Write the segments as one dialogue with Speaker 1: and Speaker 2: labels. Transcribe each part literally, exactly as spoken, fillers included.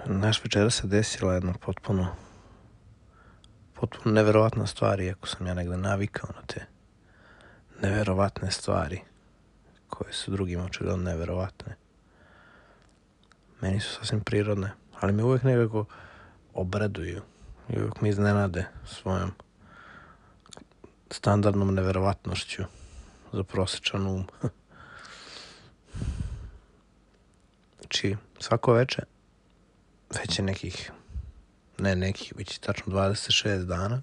Speaker 1: Naš večera se desila jedna potpuno potpuno neverovatna stvar, iako sam ja negde navikao na te neverovatne stvari koje su drugima očigledno neverovatne. Meni su sasvim prirodne, ali me uvek nekako obraduju i uvek me iznenade svojom standardnom neverovatnošću za prosječan um. Znači, svako veče, već je nekih, ne nekih, već je tačno dvadeset šest dana,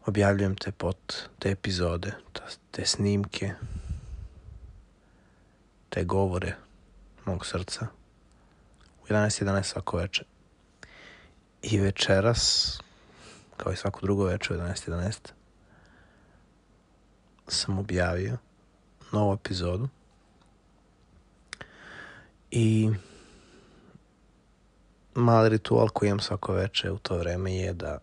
Speaker 1: objavljujem te pot, te epizode, te snimke, te govore mog srca u jedanaest jedanaest svako veče. I večeras, kao i svako drugo veče u jedanaest jedanaest, sam objavio novu epizodu i mali ritual koji imam svako veče u to vreme je da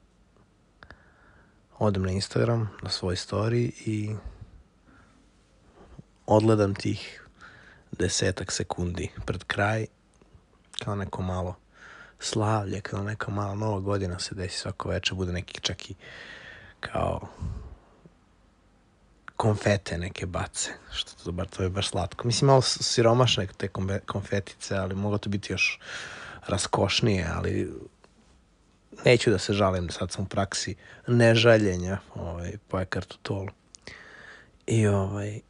Speaker 1: odem na Instagram, na svoj story i odgledam tih desetak sekundi pred kraj, kao neko malo slavlje, kao neka mala nova godina se desi svako veče, bude neki čak i kao konfete neke bace, što to, bar, to je baš slatko. Mislim, malo siromašne te konfetice, ali moglo to biti još raskošnije, ali neću da se žalim, sad sam u praksi nežaljenja ovaj, po Eckhart Tollu. I ovaj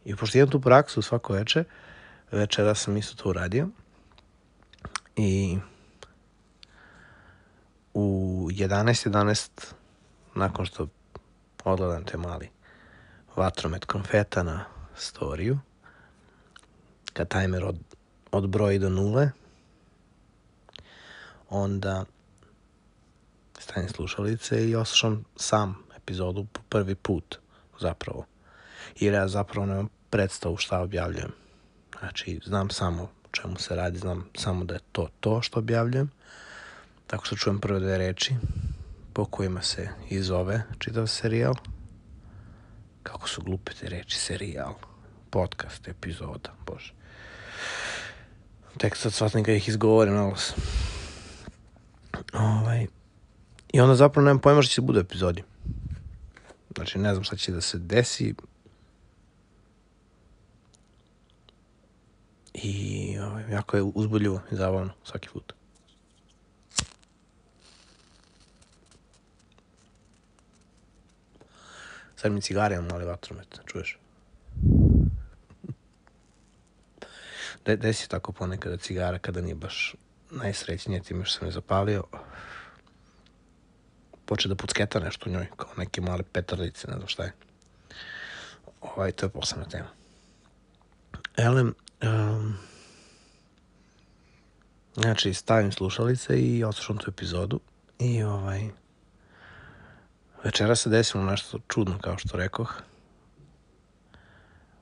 Speaker 1: i pošto imam tu praksu svako veče, večera sam isto to uradio i u jedanaest jedanaest nakon što odgledam te mali vatromet konfeta na storiju, kad tajmer od, odbroji do nule, onda stavim slušalice i oslušam sam epizodu po prvi put zapravo. Jer ja zapravo nemam predstavu šta objavljujem. Znači, znam samo o čemu se radi, znam samo da je to to što objavljujem. Tako što čujem prve dve reči po kojima se i zove čitav serijal. Kako su glupe te reči, serijal, podcast, epizoda, bože. Tek sad shvatim kad ih izgovorim na glas. Ovaj. I onda zapravo nemam pojma što će bude u epizodi. Znači, ne znam šta će da se desi. I ovaj, jako je uzbudljivo i zabavno svaki put. Sad mi cigare imam mali vatromet, čuješ? De, desi tako ponekada cigara kada nije baš najsrećnije time što sam je zapalio. Poče da pucketa nešto u njoj, kao neke male petardice, ne znam šta je. Ovaj, to je posebna tema. Elem, um, znači stavim slušalice i odslušam tu epizodu i ovaj večera se desilo nešto čudno, kao što rekoh.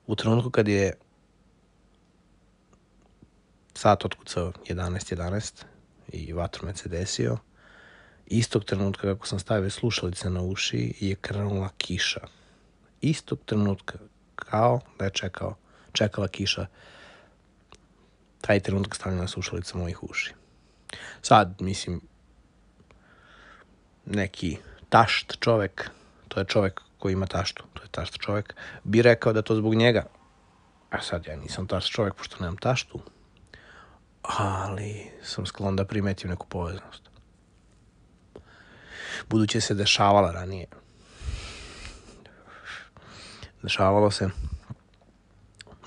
Speaker 1: U trenutku kad je sat otkucao jedanaest jedanaest i vatromet se desio, istog trenutka kako sam stavio slušalice na uši je krenula kiša. Istog trenutka, kao da je čekao, čekala kiša, taj trenutak stavljena slušalica mojih uši. Sad, mislim, neki tašt čovek, to je čovek koji ima taštu, to je tašt čovek, bi rekao da to zbog njega. A sad ja nisam tašt čovek, pošto nemam taštu. Ali sam sklon da primetim neku poveznost. Budući se dešavala ranije. Dešavalo se,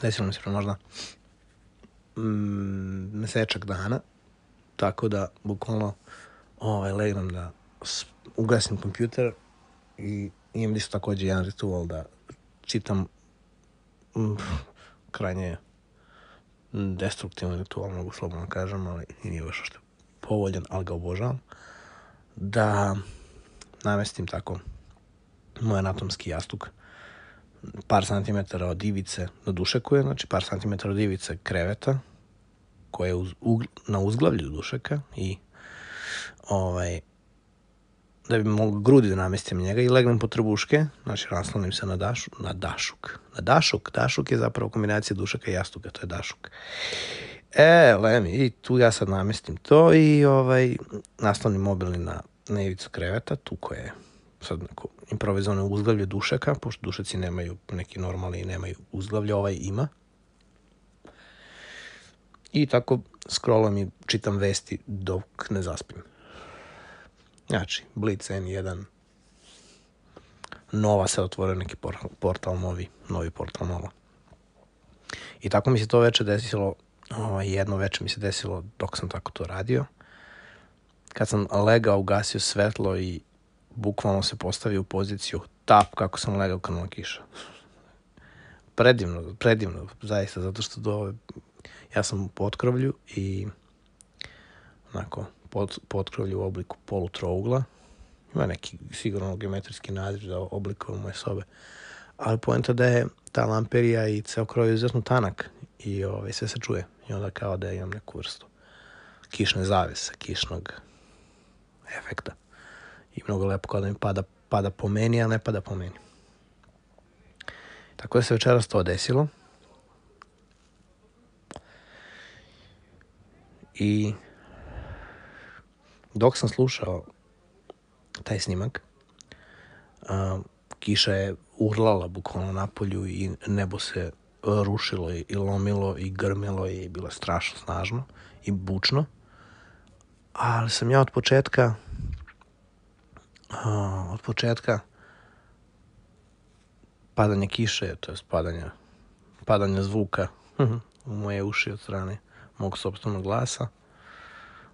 Speaker 1: desilo mi se možda mm, mesečak dana, tako da bukvalno ovaj, legnem da ugasim kompjuter i imam isto također jedan ritual da čitam mm, krajnje destruktivan ritual, mogu slobodno kažem, ali i nije baš što povoljan, ali ga obožavam, da namestim tako moj anatomski jastuk par santimetara od ivice do dušekuje, znači par santimetara od ivice kreveta koje je uz, ugl, na uzglavlju dušeka i ovaj da bi mogu grudi da namestim njega i legnem po trbuške, znači naslonim se na, dašu, na dašuk. Na dašuk, dašuk je zapravo kombinacija dušaka i jastuka, to je dašuk. E, lemi, i tu ja sad namestim to i ovaj, naslonim mobilni na, na ivicu kreveta, tu koje je sad neko improvizovano uzglavlje dušaka, pošto dušaci nemaju, neki normalni i nemaju uzglavlje, ovaj ima. I tako scrollam i čitam vesti dok ne zaspim. Znači, Blitz en jedan, Nova se otvorio neki portal novi, novi portal Nova. I tako mi se to veče desilo, ovaj, jedno veče mi se desilo dok sam tako to radio. Kad sam legao, ugasio svetlo i bukvalno se postavio u poziciju tap kako sam legao kanula kiša. Predivno, predivno, zaista, zato što do, ja sam u potkrovlju i onako, pod, potkrovlju u obliku polutrougla. Ima neki sigurno geometrijski naziv za oblikove moje sobe. Ali poenta da je ta lamperija i ceo krov je izuzetno tanak i ovaj, sve se čuje. I onda kao da imam neku vrstu kišne zavese, kišnog efekta. I mnogo lepo kao da mi pada, pada po meni, a ne pada po meni. Tako da se večeras to desilo. I dok sam slušao taj snimak, a, kiša je urlala bukvalno napolju i nebo se rušilo i, i lomilo i grmilo i bilo strašno snažno i bučno. Ali sam ja od početka a, od početka padanja kiše, to je padanja, padanja zvuka u moje uši od strane mog sopstvenog glasa,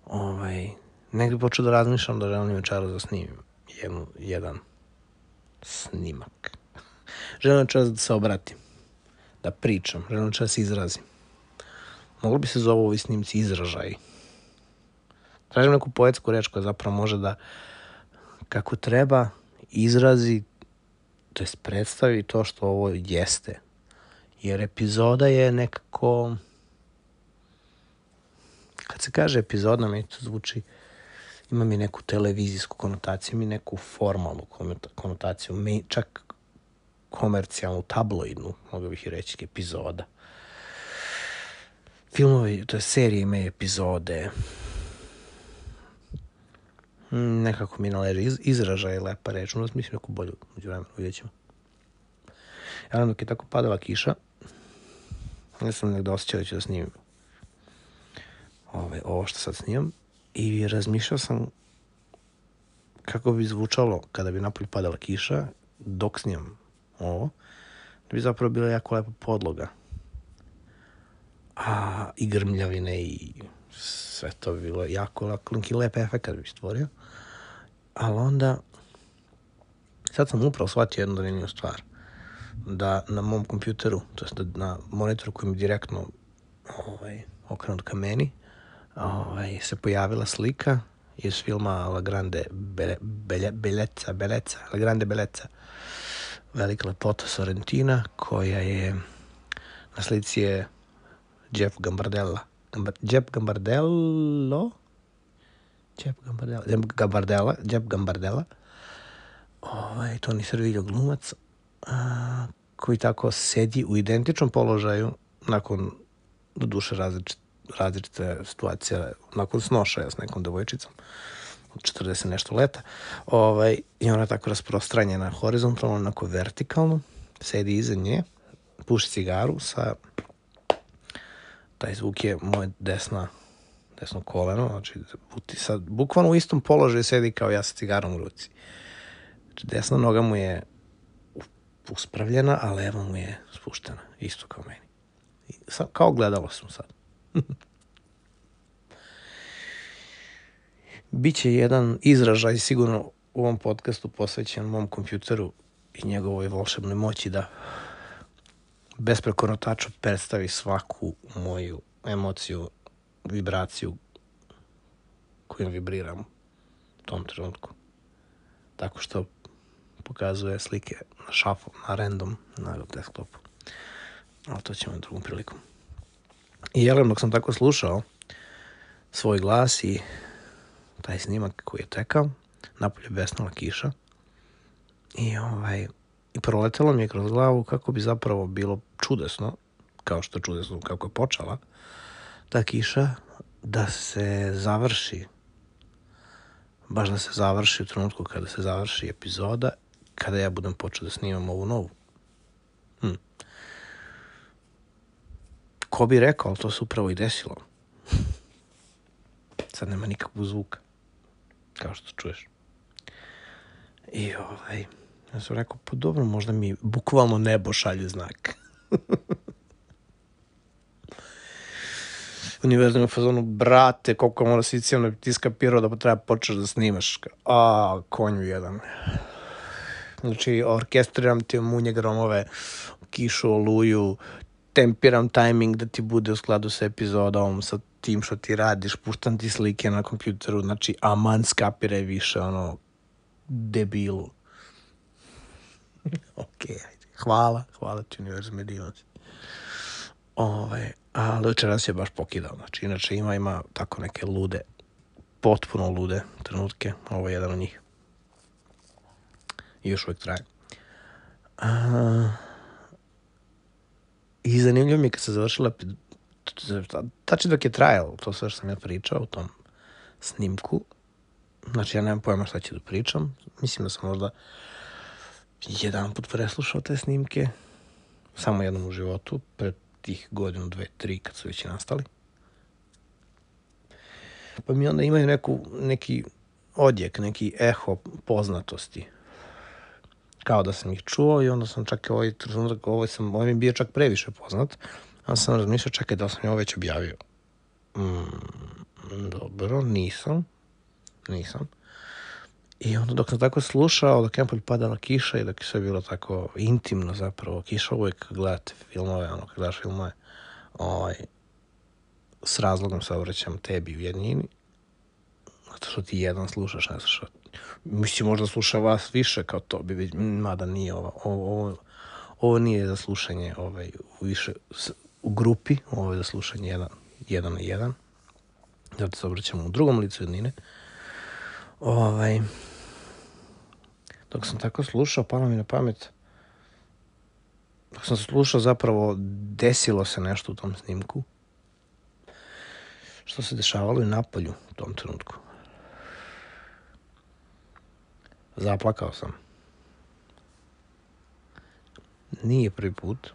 Speaker 1: ovaj, negdje počeo da razmišljam da želim večeras da snimim jednu, jedan snimak. Želim večeras da se obratim, da pričam, želim večeras da se izrazim. Moglo bi se zovu ovi snimci izražaji. Tražim neku poetsku reč koja zapravo može da kako treba izrazi, to jest predstavi to što ovo jeste. Jer epizoda je nekako, kad se kaže epizoda, mi to zvuči, ima mi neku televizijsku konotaciju, ima mi neku formalnu konotaciju, mi čak komercijalnu, tabloidnu, mogu bih i reći, epizoda. Filmovi, to je serije, imaju epizode. Nekako mi naleži iz, izražaj lepa reč, onda mislim neku bolju uđu vremenu, vidjet ćemo. Ja dok je tako padala kiša, ja sam negdje osjećao da ću da snimim Ove, ovo što sad snimam i razmišljao sam kako bi zvučalo kada bi napolju padala kiša dok snimam ovo, da bi zapravo bila jako lepa podloga. A i grmljavine i sve to bi bilo jako lak, lep efekt kad bi stvorio. Ali onda, sad sam upravo shvatio jednu zanimljivu stvar. Da na mom kompjuteru, to jest da na monitoru koji mi direktno ovaj, okrenut ka meni, ovaj, se pojavila slika iz filma La Grande Be- Be- Bellezza, Bellezza, La Grande Bellezza, velika lepota Sorrentina, koja je, na slici je Jeff Gambardella. Gambar, Jeff Gambardello? Jeff Gambardella, Jeff Gambardella, Jeff Gambardella, ovaj, Toni Servillo glumac, a, koji tako sedi u identičnom položaju nakon, do duše različite, različite situacije, nakon snošaja s nekom devojčicom od četrdeset nešto leta, ovaj, i ona tako rasprostranjena horizontalno, onako vertikalno, sedi iza nje, puši cigaru sa, taj zvuk je moje desna, desno koleno, znači sad, bukvalno u istom položaju sedi kao ja sa cigarom u ruci. Znači desna noga mu je uspravljena, a leva mu je spuštena, isto kao meni. I sad, kao gledalo sam sad. Biće jedan izražaj sigurno u ovom podcastu posvećen mom kompjuteru i njegovoj volšebnoj moći da bez prekonotača predstavi svaku moju emociju, vibraciju kojom vibriram u tom trenutku. Tako što pokazuje slike na šafu, na random, na desktopu. Ali to ćemo drugom prilikom. I jelem, dok sam tako slušao svoj glas i taj snimak koji je tekao, napolje besnala kiša i ovaj i proletelo mi je kroz glavu kako bi zapravo bilo čudesno, kao što je čudesno kako je počela ta kiša, da se završi, baš da se završi u trenutku kada se završi epizoda, kada ja budem počeo da snimam ovu novu. Hm. Ko bi rekao, ali to se upravo i desilo. Sad nema nikakvog zvuka, kao što čuješ. I ovaj, ja sam rekao, pa dobro, možda mi bukvalno nebo šalje znak. Univerzum je u fazonu, brate, koliko mora si cijelno ti skapirao da treba počeš da snimaš. A, konju jedan. Znači, orkestriram ti munje gromove, kišu, oluju, tempiram tajming da ti bude u skladu sa epizodom, sa tim što ti radiš, puštam ti slike na kompjuteru, znači, aman skapiraj više, ono, debilu. Ok, ajde. Hvala, hvala ti univerzum, je divan si. Ove, ali večeras je baš pokidao, znači, inače ima, ima tako neke lude, potpuno lude trenutke, ovo je jedan od njih. I još uvijek traje. A, I zanimljivo mi je kad se završila, tači dok je trajalo, to sve što sam ja pričao u tom snimku, znači ja nemam pojma šta ću da pričam, mislim da sam možda jedan put preslušao te snimke, samo jednom u životu, pred tih godinu, dve, tri, kad su već i nastali. Pa mi onda imaju neku, neki odjek, neki eho poznatosti. Kao da sam ih čuo i onda sam čak i ovaj trenutak, ovaj, sam, ovaj mi bio čak previše poznat, a sam razmišljao, čekaj, da li sam je ovo već objavio. Mm, dobro, nisam. Nisam. I onda dok sam tako slušao, dok je napolje padala kiša i dok je sve bilo tako intimno zapravo, kiša uvijek gledate filmove, ono, kad gledaš filmove, ovaj, s razlogom se obraćam tebi u jednini, zato što ti jedan slušaš, ne slušaš. Mislim, možda sluša vas više kao to, bi već, mada nije ovo, ovo, ovo nije za slušanje ovaj, u, više, u grupi, ovo je za slušanje jedan, jedan na jedan, zato se obraćam u drugom licu jednine. Ovaj, dok sam tako slušao, palo mi na pamet, dok sam slušao zapravo desilo se nešto u tom snimku, što se dešavalo i napolju u tom trenutku. Zaplakao sam. Nije prvi put,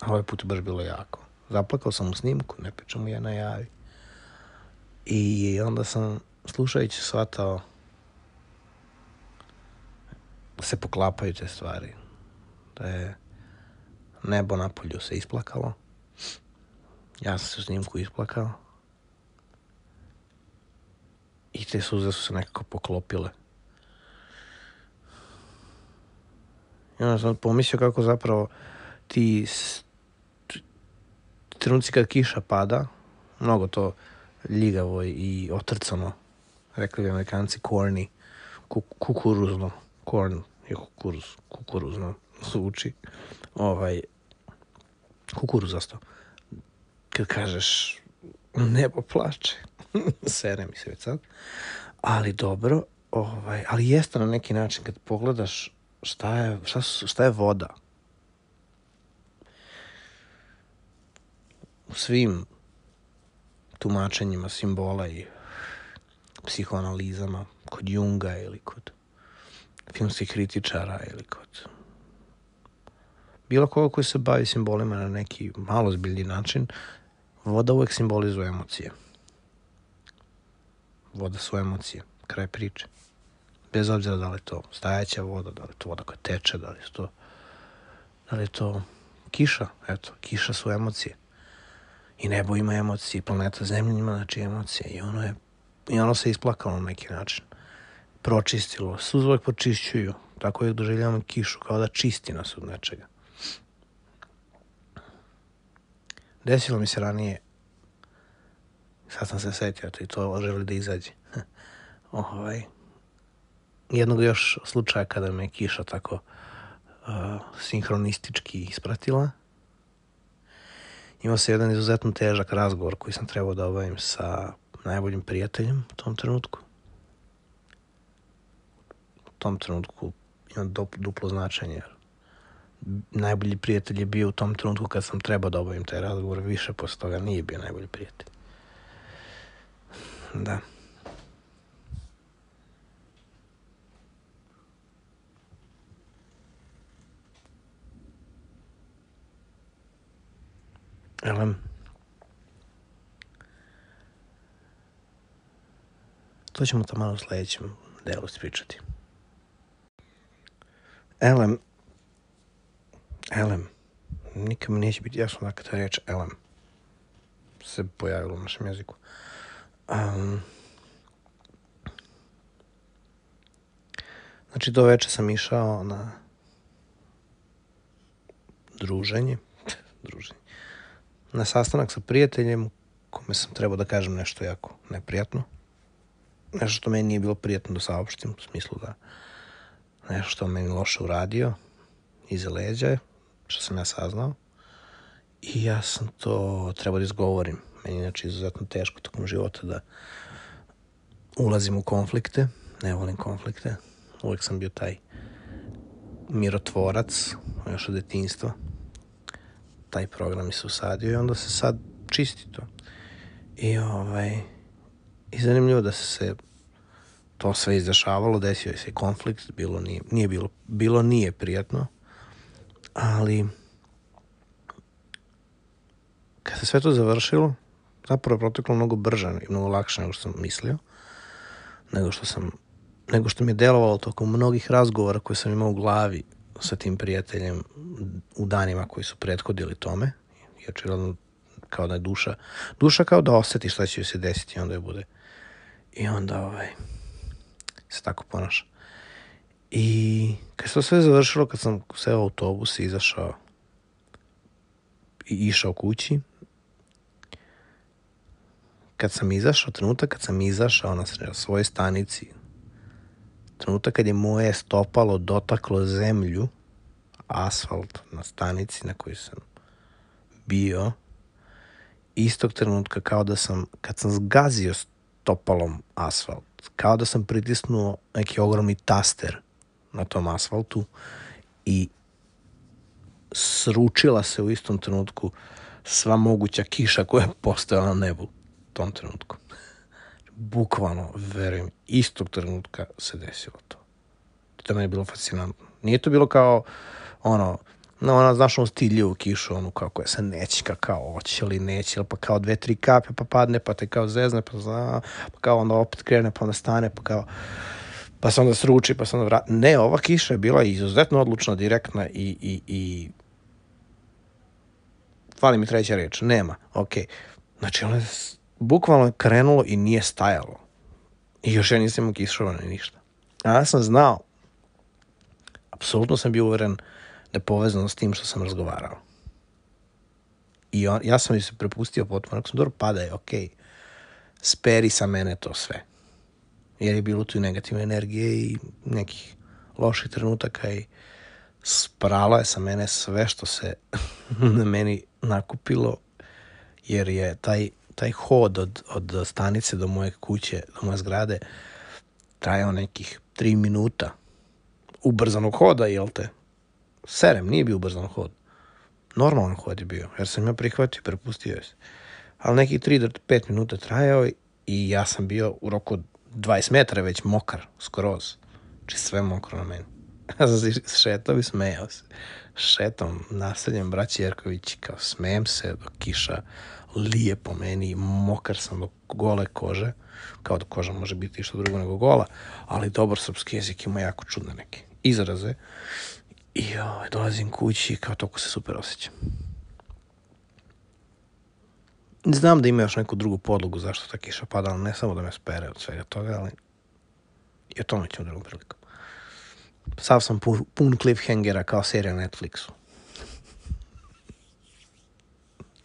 Speaker 1: a ovaj put je baš bilo jako. Zaplakao sam u snimku, ne pričam mu ja na javi. I onda sam, slušajući, shvatao da se poklapaju te stvari. Da je nebo napolju se isplakalo. Ja sam se u snimku isplakao. I te suze su se nekako poklopile. I onda sam pomislio kako zapravo ti trenuci kad kiša pada, mnogo to ljigavo i otrcano, rekli bi Amerikanci, corny, kukuruzno, corn je kukuruz, kukuruzno zvuči, ovaj, kukuruzasto. Kad kažeš nebo plače, sere mi se već sad, ali dobro, ovaj, ali jeste na neki način kad pogledaš šta je, šta, šta je voda. U svim tumačenjima simbola i psihoanalizama, kod Junga ili kod filmskih kritičara ili kod bilo koga koji se bavi simbolima na neki malo zbiljni način, voda uvek simbolizuje emocije. Voda su emocije, kraj priče. Bez obzira da li je to stajaća voda, da li je to voda koja teče, da li je to, da li je to kiša. Eto, kiša su emocije. I nebo ima emocije, planeta Zemlja ima znači emocije. I ono, je, i ono se isplakalo na neki način. Pročistilo. Suze uvek počišćuju. Tako uvek doživljavamo kišu, kao da čisti nas od nečega. Desilo mi se ranije, sad sam se setio, to i to želi da izađe. ovaj, jednog još slučaja kada me kiša tako uh, sinhronistički ispratila. Imao se jedan izuzetno težak razgovor koji sam trebao da obavim sa najboljim prijateljem u tom trenutku. tom trenutku ima duplo značenje. Najbolji prijatelj je bio u tom trenutku kad sam trebao da obavim taj razgovor, više posle toga nije bio najbolji prijatelj. Da. Elem, to ćemo tamo u sledećem delu ispričati. Elem, elem, nikad mi neće biti jasno da kada reč elem se pojavilo u našem jeziku. Um, znači, do veče sam išao na druženje, druženje, na sastanak sa prijateljem kome sam trebao da kažem nešto jako neprijatno. Nešto što meni nije bilo prijatno da saopštim, u smislu da nešto što meni loše uradio iza leđa, što sam ja saznao. I ja sam to trebao da izgovorim. Meni je inače izuzetno teško tokom života da ulazim u konflikte. Ne volim konflikte. Uvijek sam bio taj mirotvorac, još od detinjstva. Taj program mi se usadio i onda se sad čisti to. I ovaj... I zanimljivo da se to sve izdešavalo, desio je se konflikt, bilo nije, nije bilo, bilo nije prijatno, ali kad se sve to završilo, zapravo je proteklo mnogo brže i mnogo lakše nego što sam mislio, nego što sam, nego što mi je delovalo tokom mnogih razgovora koje sam imao u glavi sa tim prijateljem u danima koji su prethodili tome, i očigledno kao da je duša, duša kao da osjeti šta će joj se desiti i onda je bude. I onda ovaj, se tako ponaša. I kad se to sve završilo, kad sam seo u autobus i izašao i išao kući, kad sam izašao, trenutak kad sam izašao na svojoj stanici, trenutak kad je moje stopalo dotaklo zemlju, asfalt na stanici na kojoj sam bio, istog trenutka kao da sam, kad sam zgazio stopalom asfalt, kao da sam pritisnuo neki ogromni taster na tom asfaltu i sručila se u istom trenutku sva moguća kiša koja je postojala na nebu u tom trenutku. Bukvalno, verujem, istog trenutka se desilo to. To meni je bilo fascinantno. Nije to bilo kao ono, no, ona, znaš, ono stiljivu kišu, onu kao koja se nećika, kao oće ili neće, pa kao dve, tri kape, pa padne, pa te kao zezne, pa, zna, pa kao onda opet krene, pa onda stane, pa kao, pa se onda sruči, pa se onda vrati. Ne, ova kiša je bila izuzetno odlučna, direktna i, i, i... fali mi treća reč, nema, okej. Okay. Znači, ono je bukvalno krenulo i nije stajalo. I još ja nisam imao kišova ni ništa. A ja sam znao, apsolutno sam bio uveren da je povezano s tim što sam razgovarao. I on, ja sam mi se prepustio potpuno, ako sam dobro padaj, ok, speri sa mene to sve. Jer je bilo tu i negativne energije i nekih loših trenutaka i sprala je sa mene sve što se na meni nakupilo, jer je taj, taj hod od, od stanice do moje kuće, do moje zgrade, trajao nekih tri minuta ubrzanog hoda, jel te? Serem, nije bio ubrzan hod. Normalan hod je bio, jer sam ja prihvatio i prepustio je se. Ali nekih tri do pet minuta trajao i ja sam bio u roku od dvadeset metara već mokar, skroz. Znači sve mokro na meni. Ja sam se šetao i smejao se. Šetom naseljem braći Jerković, kao smejem se dok kiša lije po meni, mokar sam do gole kože, kao da koža može biti što drugo nego gola, ali dobar srpski jezik ima jako čudne neke izraze. I ovaj, dolazim kući i kao toliko se super osjećam. Znam da ima još neku drugu podlogu zašto ta kiša pada, ali ne samo da me spere od svega toga, ali i o tome ćemo drugom prilikom. Sav sam pun, pun cliffhangera kao serija na Netflixu.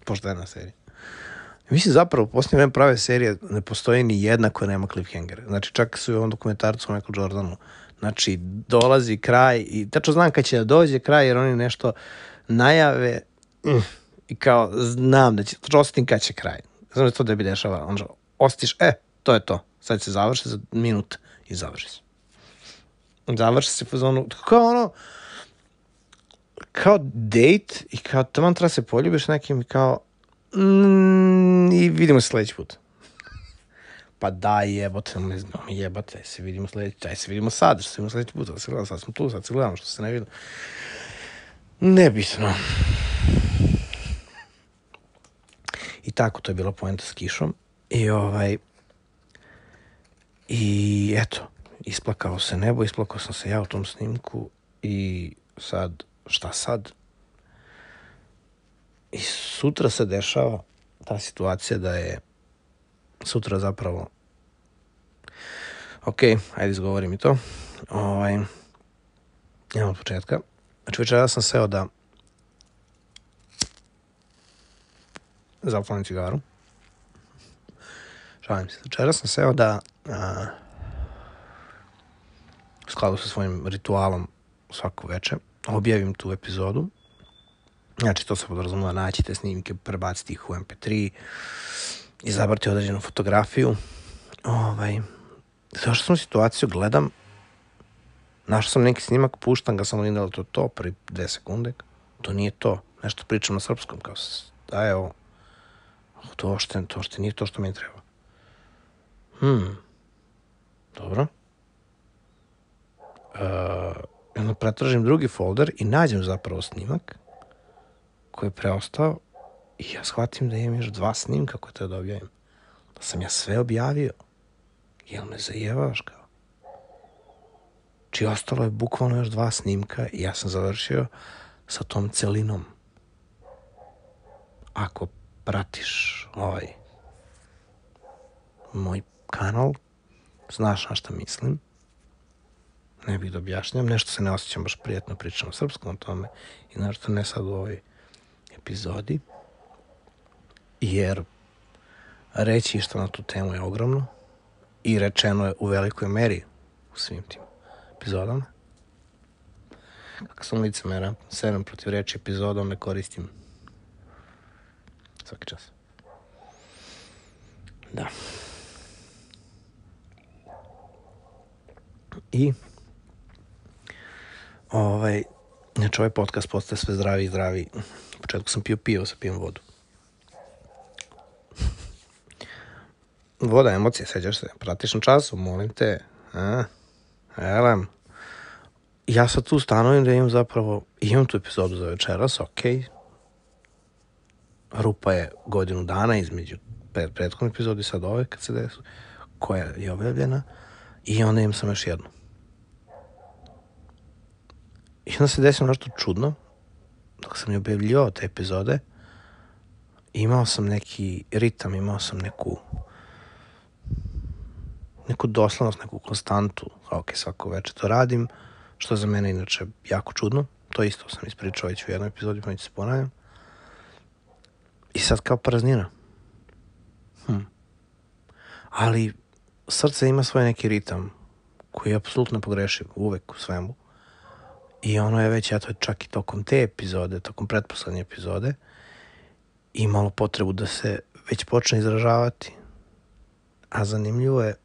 Speaker 1: Poštena serija. Mislim, zapravo, u posljednje vreme prave serije ne postoji ni jedna koja nema cliffhangera. Znači, čak su i u ovom dokumentarcu o Michael Jordanu. Znači, dolazi kraj i tačno znam kad će da dođe kraj, jer oni nešto najave mm, i kao znam da će, tačno osjetim kad će kraj. Znam da to da bi dešava. Onda osjetiš, e, to je to. Sad se završi za minut i završi se. završi se fazonu, kao ono, kao date i kao tamo treba se poljubiš nekim i kao mm, i vidimo se sledeći put. Pa daj jebote, ne znam, jebate, se vidimo sledeći, daj se vidimo sad, što se vidimo sledeći put, sad se gledamo, sad smo tu, sad se gledamo, što se ne vidimo. Nebitno. I tako, to je bila poenta s kišom. I ovaj, i eto, isplakao se nebo, isplakao sam se ja u tom snimku i sad, šta sad? I sutra se dešava ta situacija da je sutra zapravo ok, ajde izgovorim i to. Ovaj, idemo od početka. Znači večera sam seo da zapalim cigaru. Šalim se. Večera sam seo da a, u skladu sa svojim ritualom svako veče objavim tu epizodu. Znači to se podrazumeva naći te snimke, prebaciti ih u em pe tri, izabrati određenu fotografiju. Ovaj, zašto sam u situaciju, gledam, našao sam neki snimak, puštam ga, samo vidim da li to to, prvi dve sekunde, to nije to, nešto pričam na srpskom, kao da je ovo, to što, to što nije to što mi treba. Hmm, dobro. Uh, onda pretražim drugi folder i nađem zapravo snimak koji je preostao i ja shvatim da imam još dva snimka koje treba da objavim. Da sam ja sve objavio. Jel me zajevaš kao? Či ostalo je bukvalno još dva snimka i ja sam završio sa tom celinom. Ako pratiš ovaj moj kanal, znaš na šta mislim. Ne bih da objašnjam, nešto se ne osjećam baš prijatno, pričam o srpskom o tome i našto ne sad u ovoj epizodi, jer reći što na tu temu je ogromno i rečeno je u velikoj meri u svim tim epizodama. Kako sam licemera, sedam protiv reči epizodom ne koristim svaki čas. Da. I ovaj, znači ovaj podcast postaje sve zdraviji i zdraviji. U početku sam pio pivo, sad pijem vodu. Voda, emocije, sećaš se, pratiš na času, molim te. A? Elem. Ja sad tu stanovim da imam zapravo, imam tu epizodu za večeras, ok. Rupa je godinu dana između pred prethodne epizode i sad ove kad se desu, koja je objavljena, i onda imam sam još jednu. I onda se desilo nešto čudno, dok sam je objavljivao te epizode, imao sam neki ritam, imao sam neku neku doslovnost, neku konstantu, ok, svako večer to radim, što za mene inače jako čudno, to isto sam ispričao već u jednoj epizodi, pa neću se ponavljam. I sad kao praznina. Hm. Ali srce ima svoj neki ritam, koji je apsolutno pogrešiv, uvek u svemu. I ono je već, eto, čak i tokom te epizode, tokom pretposlednje epizode, imalo potrebu da se već počne izražavati. A zanimljivo je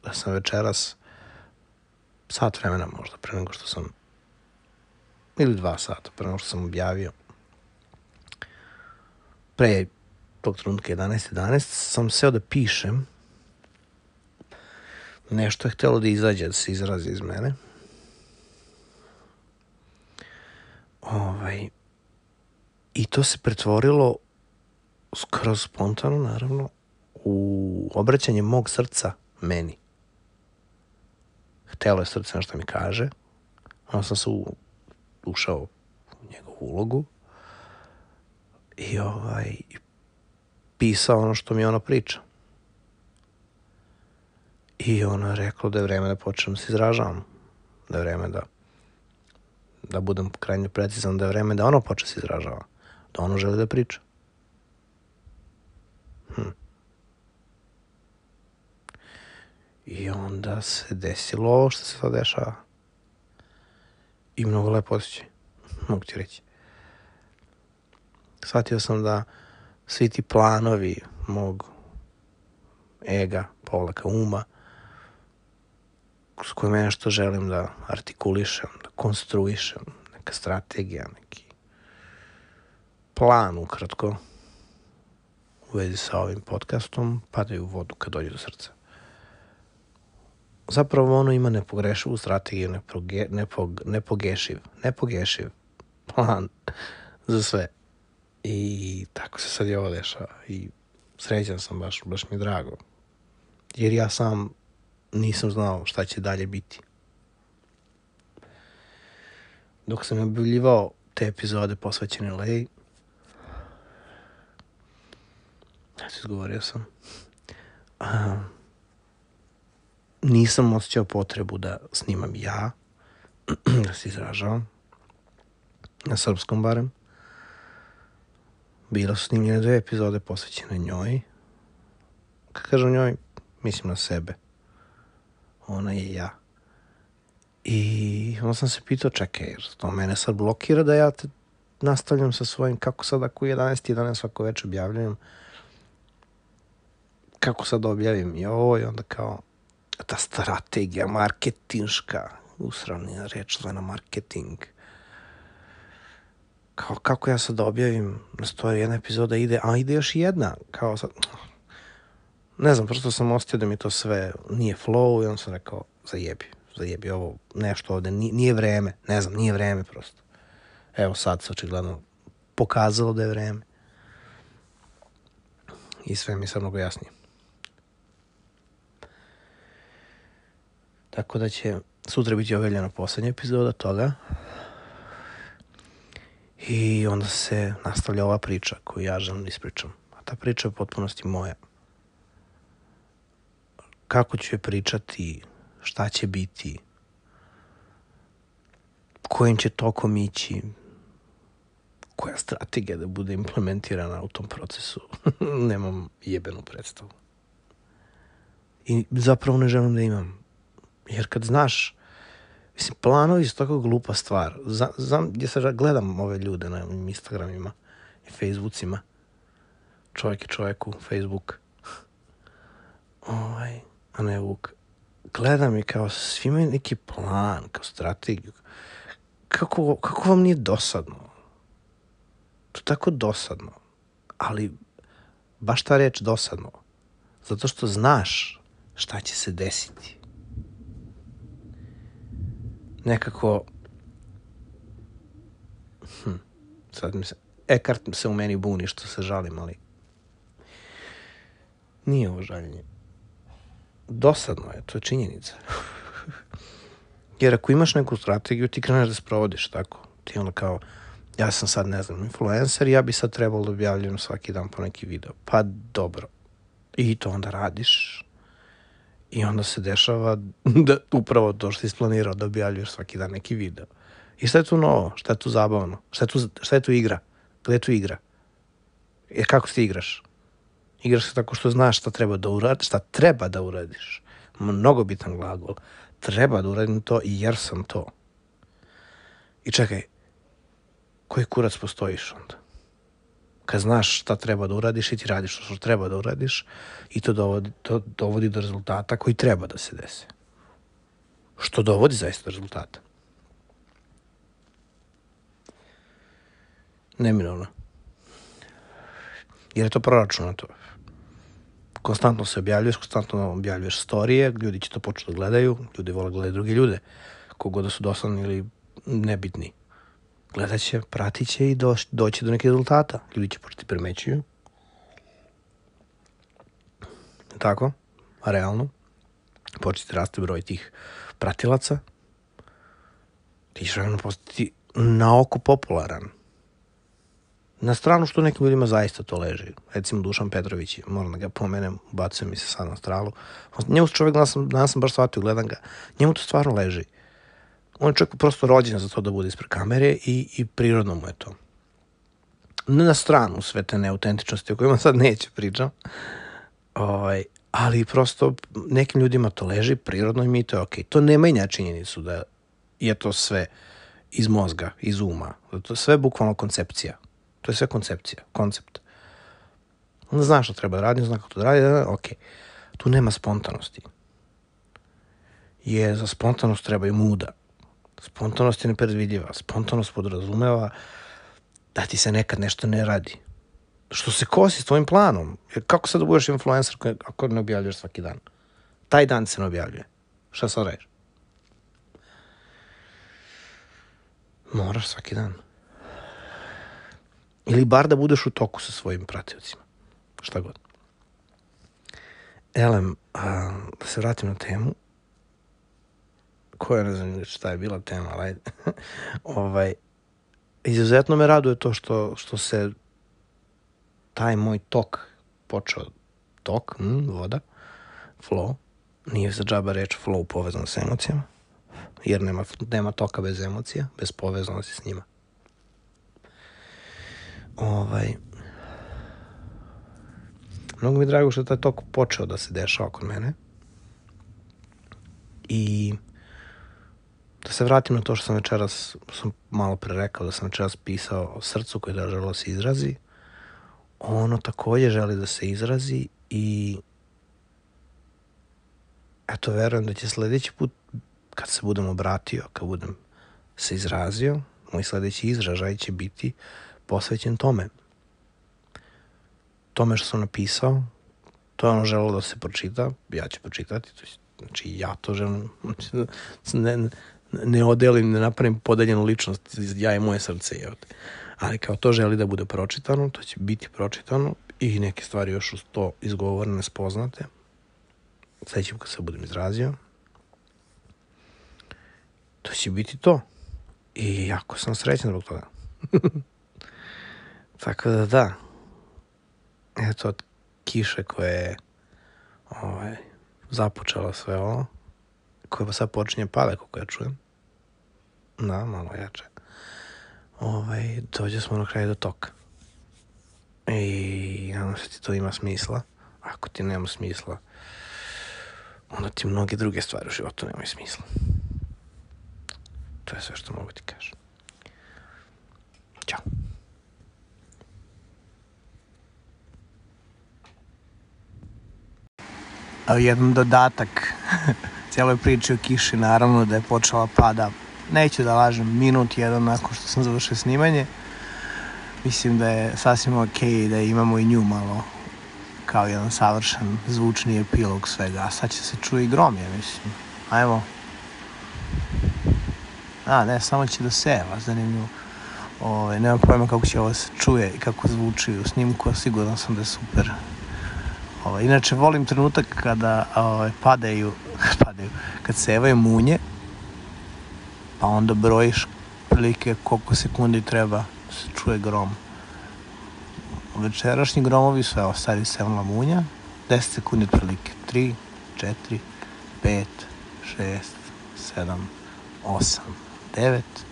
Speaker 1: da sam večeras sat vremena možda pre nego što sam, ili dva sata pre nego što sam objavio, pre tog trenutka jedanaest jedanaest sam seo da pišem, nešto je htjelo da izađe, da se izrazi iz mene. Ovaj, i to se pretvorilo skroz spontano, naravno, u obraćanje mog srca meni. Htjelo je srce nešto mi kaže, onda sam se u, ušao u njegovu ulogu i ovaj, pisao ono što mi ono priča. I ono je reklo da je vreme da počnem da se izražavam, da je vreme da da budem krajnje precizan, da je vreme da ono počne se izražava, da ono želi da priča. Hm. I onda se desilo ovo što se sad dešava. I mnogo lepo osjećaj, mogu ti reći. Shvatio sam da svi ti planovi mog ega, povlaka uma, s kojima nešto želim da artikulišem, da konstruišem, neka strategija, neki plan ukratko u vezi sa ovim podcastom, padaju u vodu kad dođe do srca. Zapravo ono ima nepogrešivu strategiju, nepoge, nepog, nepogešiv, nepogešiv plan za sve. I tako se sad i ovo dešava. I srećan sam, baš, baš mi je drago. Jer ja sam nisam znao šta će dalje biti. Dok sam objavljivao te epizode posvećene Leji, ja se izgovorio sam, a, nisam osjećao potrebu da snimam ja, da se izražavam, na srpskom barem. Bilo su snimljene dve epizode posvećene njoj. Kad kažem njoj, mislim na sebe. Ona je ja. I onda sam se pitao, čekaj, jer to mene sad blokira da ja te nastavljam sa svojim, kako sad ako u jedanaest jedanaest svako večer objavljam, kako sad objavim i ovo, i onda kao ta strategija marketinška, usravnija reč zvena marketing. Kao kako ja sad objavim na story jedna epizoda ide, a ide još jedna, kao sad, ne znam, prosto sam osjetio da mi to sve nije flow i onda sam rekao, zajebi, zajebi ovo, nešto ovde, nije, nije vreme, ne znam, nije vreme prosto. Evo sad se očigledno pokazalo da je vreme. I sve mi je sad mnogo jasnije. Tako da će sutra biti objavljena posljednja epizoda toga. I onda se nastavlja ova priča koju ja želim da ispričam. A ta priča je u potpunosti moja. Kako ću je pričati, šta će biti, kojim će tokom ići, koja strategija da bude implementirana u tom procesu. Nemam jebenu predstavu. I zapravo ne želim da imam. Jer kad znaš, mislim, planovi su tako glupa stvar. Znam, gdje se gledam ove ljude na Instagramima i Facebookima. Čovjek je čovjeku, Facebook. Ovaj, a ne Vuk. Gledam i kao svi imaju neki plan, kao strategiju. Kako, kako vam nije dosadno? To je tako dosadno. Ali baš ta reč dosadno. Zato što znaš šta će se desiti. Nekako hm, sad mi se Eckhart se u meni buni što se žalim, ali nije ovo žaljenje. Dosadno je, to je činjenica. Jer ako imaš neku strategiju, ti kreneš da sprovodiš, tako. Ti onda kao, ja sam sad, ne znam, influencer, ja bi sad trebalo da objavljam svaki dan po neki video. Pa dobro. I to onda radiš. I onda se dešava da upravo to što si isplanirao da objavljuješ svaki dan neki video. I šta je tu novo? Šta je tu zabavno? Šta je tu, šta je tu igra? Gde je tu igra? Jer kako ti igraš? Igraš se tako što znaš šta treba da uradiš, šta treba da uradiš. Mnogo bitan glagol. Treba da uradim to i jer sam to. I čekaj, koji kurac postojiš onda? Kad znaš šta treba da uradiš i ti radiš što treba da uradiš i to dovodi, to dovodi do rezultata koji treba da se dese. Što dovodi zaista do rezultata. Neminovno. Jer je to proračunato. Konstantno se objavljuješ, konstantno objavljuješ storije, ljudi će to početi da gledaju, ljudi vole gledaju drugi ljude, kogod da su dosadni ili nebitni. Gledat će, pratit će i doći, doći do nekih rezultata. Ljudi će početi primećuju. Tako, a realno, početi raste broj tih pratilaca. Ti ćeš realno postati na oko popularan. Na stranu što nekim ljudima zaista to leži. Recimo Dušan Petrović, moram da ga pomenem, ubacuje mi se sad na stralu. Njemu čovjek, danas sam, danas sam baš shvatio, gledam ga, njemu to stvarno leži. On je čovjek prosto rođen za to da bude ispred kamere i, i prirodno mu je to. Ne na stranu sve te neautentičnosti o kojima sad neće pričam, ovaj, ali prosto nekim ljudima to leži, prirodno im i to je okej. To ne menja činjenicu da je to sve iz mozga, iz uma. To je sve bukvalno koncepcija. To je sve koncepcija, koncept. Onda znaš što treba da radi, znaš kako to da radi, ok. Tu nema spontanosti. je za spontanost treba i muda. Spontanost je nepredvidiva. Spontanost podrazumeva da ti se nekad nešto ne radi. Što se kosi s tvojim planom. Jer kako sad da budeš influencer ako ne objavljaš svaki dan? Taj dan se ne objavljuje. Šta sad radiš? Moraš svaki dan. Ili bar da budeš u toku sa svojim pratiocima. Šta god. Elem, a, da se vratim na temu. Koja ne znam šta je bila tema, ali ajde. ovaj, izuzetno me raduje to što, što se taj moj tok počeo, tok, mm, voda, flow, nije za džaba reč flow povezan s emocijama, jer nema, nema toka bez emocija, bez povezanosti s njima. Ovaj, mnogo mi je drago što je taj tok počeo da se dešava kod mene i da se vratim na to što sam večeras, sam malo pre rekao da sam večeras pisao o srcu koje da želo se izrazi. Ono takođe želi da se izrazi i eto, verujem da će sledeći put kad se budem obratio, kad budem se izrazio, moj sledeći izražaj će biti posvećen tome. Tome što sam napisao, to je ono želelo da se pročita, ja ću pročitati, znači ja to želim, ne, ne odelim, ne napravim podeljenu ličnost, ja i moje srce je ovde. Ali kao to želi da bude pročitano, to će biti pročitano i neke stvari još uz to izgovorene, spoznate. Sledeći kad se budem izrazio, to će biti to. I jako sam srećan zbog toga. Tako da da. Eto, od kiše koja je ovaj, započela sve ovo, koja sad počinje pada, kako ja čujem. Da, malo jače. Ovaj, dođe smo na kraju do toka. I nadam se ti to ima smisla. Ako ti nema smisla, onda ti mnoge druge stvari u životu nemaju smisla. To je sve što mogu ti kažem. Ćao. A jedan dodatak cijeloj priči o kiši, naravno da je počela pada, neću da lažem, minut jedan nakon što sam završio snimanje. Mislim da je sasvim okej da imamo i nju malo kao jedan savršen zvučni epilog svega. A sad će se čuje i grom, ja mislim. Ajmo. A, ne, samo će da seva, zanimljivo. Ove, nemam pojma kako će ovo se čuje i kako zvuči u snimku, a siguran sam da je super. Ove, inače, volim trenutak kada ove, padaju, padaju, kad sevaju munje, pa onda brojiš prilike koliko sekundi treba da se čuje grom. Večerašnji gromovi su, evo, sad je sevnula munja, deset sekundi otprilike, tri, četiri, pet, šest, sedam, osam, devet.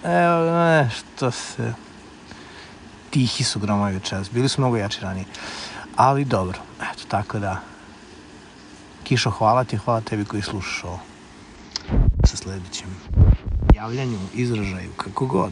Speaker 1: Evo, nešto se... Tihi su gromovi večeras, bili su mnogo jači ranije. Ali dobro, eto, tako da... Kišo, hvala ti, hvala tebi koji slušaš ovo. Sa sledećim javljanju, izražaju, kako god.